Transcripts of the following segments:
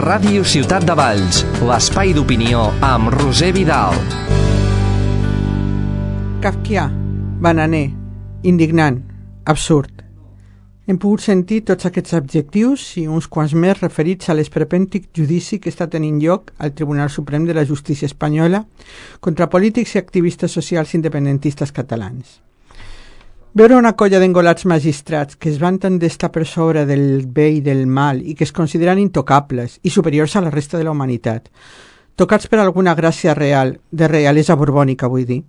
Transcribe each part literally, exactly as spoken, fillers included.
Ràdio Ciutat de Valls, l'espai d'opinió amb Roser Vidal. Kafkià, bananer, indignant, absurd. Hem pogut sentir tots aquests adjectius i uns quants més referits a l'esperpèntic judici que està tenint lloc al Tribunal Suprem de la Justícia Espanyola contra polítics i activistes socials independentistes catalans. Veure una colla d'engolats magistrats que es vanten d'estar per sobre del bé i del mal i que es consideren intocables i superiors a la resta de la humanitat, tocats per alguna gràcia real, de realesa borbònica, vull dir,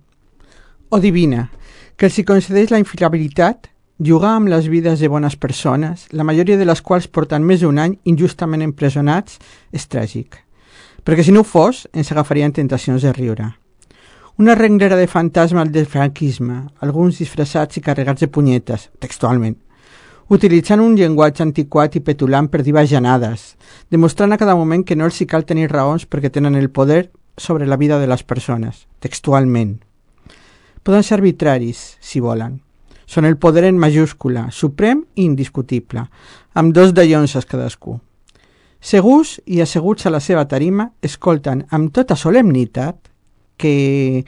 o divina, que els hi concedeix la infalibilitat, jugar amb les vides de bones persones, la majoria de les quals porten més d'un any injustament empresonats, és tràgic. Perquè si no ho fos, ens agafarien tentacions de riure. Una renglera de fantasmes del franquisme, alguns disfressats i carregats de punyetes, textualment, utilitzant un llenguatge antiquat i petulant per dir bajanades, demostrant a cada moment que no els hi cal tenir raons perquè tenen el poder sobre la vida de les persones, textualment. Poden ser arbitraris, si volen. Són el poder en majúscula, suprem i indiscutible, amb dos dallonses cadascú. Segurs i asseguts a la seva tarima, escolten amb tota solemnitat que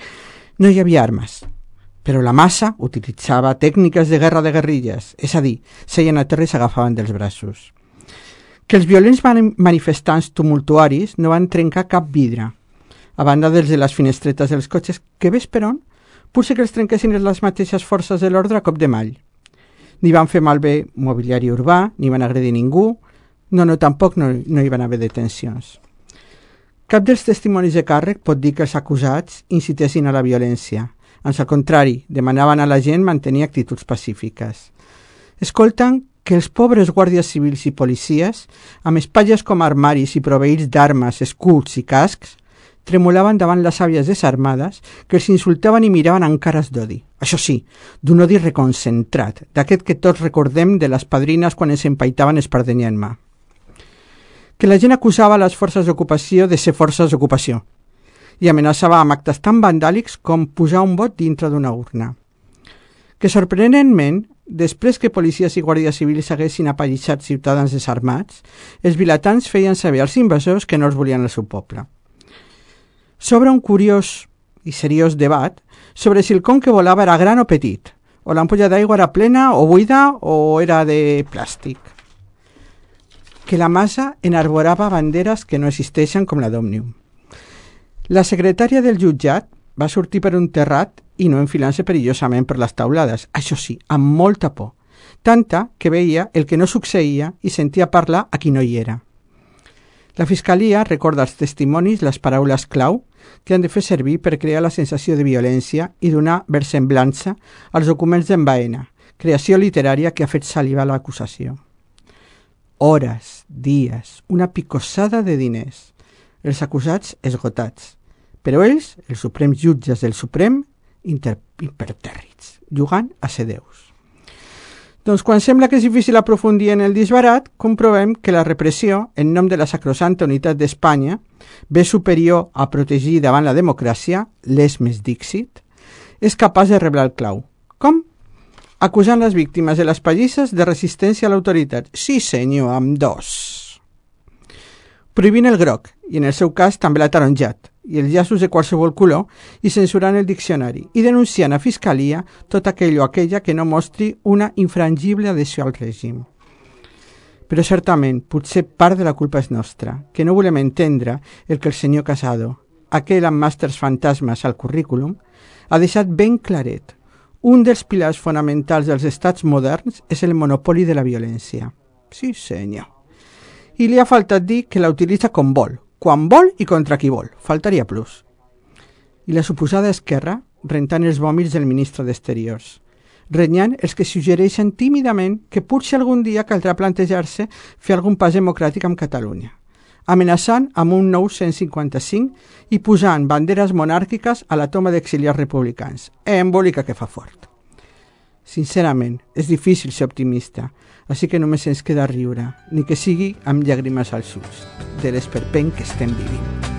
no hi havia armes, però la massa utilitzava tècniques de guerra de guerrilles, és a dir, seien a terra i s'agafaven dels braços. Que els violents manifestants tumultuaris no van trencar cap vidre, a banda dels de les finestretes dels cotxes, que ves per on, potser que els trenquessin les mateixes forces de l'ordre a cop de mall. Ni van fer malbé mobiliari urbà, ni van agredir ningú, no, no, tampoc no, no hi van haver detencions. Cap dels testimonis de càrrec pot dir que els acusats incitessin a la violència. Ans al contrari, demanaven a la gent mantenir actituds pacífiques. Escolten que els pobres guàrdies civils i policies, amb espatlles com armaris i proveïts d'armes, escuts i cascs, tremolaven davant les àvies desarmades que els insultaven i miraven amb cares d'odi. Això sí, d'un odi reconcentrat, d'aquest que tots recordem de les padrines quan ens empaitaven espardenyent-me. Que la gent acusava les forces d'ocupació de ser forces d'ocupació i amenaçava amb actes tan vandàlics com posar un vot dintre d'una urna. Que sorprenentment, després que policies i guàrdies civils haguessin apallissat ciutadans desarmats, els vilatans feien saber als invasors que no els volien al seu poble. S'obre un curiós i seriós debat sobre si el con que volava era gran o petit, o l'ampolla d'aigua era plena o buida o era de plàstic. Que la massa enarborava banderes que no existeixen com la d'Òmnium. La secretària del jutjat va sortir per un terrat i no enfilant-se perillosament per les taulades, això sí, amb molta por, tanta que veia el que no succeïa i sentia parlar a qui no hi era. La fiscalia recorda als testimonis les paraules clau que han de fer servir per crear la sensació de violència i donar versemblança als documents d'en Baena, creació literària que ha fet salivar l'acusació. Hores, dies, una picossada de diners, els acusats esgotats, però ells, els suprems jutges del Suprem, impertèrrits, jugant a ser déus. Doncs quan sembla que és difícil aprofundir en el disbarat, comprovem que la repressió, en nom de la sacrosanta unitat d'Espanya, bé superior a protegir davant la democràcia, les més dixit, és capaç de reblar el clau. Com? Acusant les víctimes de les pallisses de resistència a l'autoritat. Sí, senyor, amb dos. Prohibint el groc, i en el seu cas també l'ataronjat, i els llaços de qualsevol color, i censurant el diccionari, i denunciant a fiscalia tot aquell o aquella que no mostri una infrangible adhesió al règim. Però certament, potser part de la culpa és nostra, que no volem entendre el que el senyor Casado, aquell amb màsters fantasmes al currículum, ha deixat ben claret. Un dels pilars fonamentals dels estats moderns és el monopoli de la violència. Sí, senyor. I li ha faltat dir que la utilitza com vol, quan vol i contra qui vol. Faltaria plus. I la suposada esquerra, rentant els vòmits del ministre d'Exteriors, renyant els que suggereixen tímidament que potser algun dia caldrà plantejar-se fer algun pas democràtic amb Catalunya, amenaçant amb un nou cent cinquanta-cinc i posant banderes monàrquiques a la toma d'exiliats republicans. Embòlica que fa fort. Sincerament, és difícil ser optimista, així que només ens queda riure, ni que sigui amb llàgrimes als ulls, de l'esperpent que estem vivint.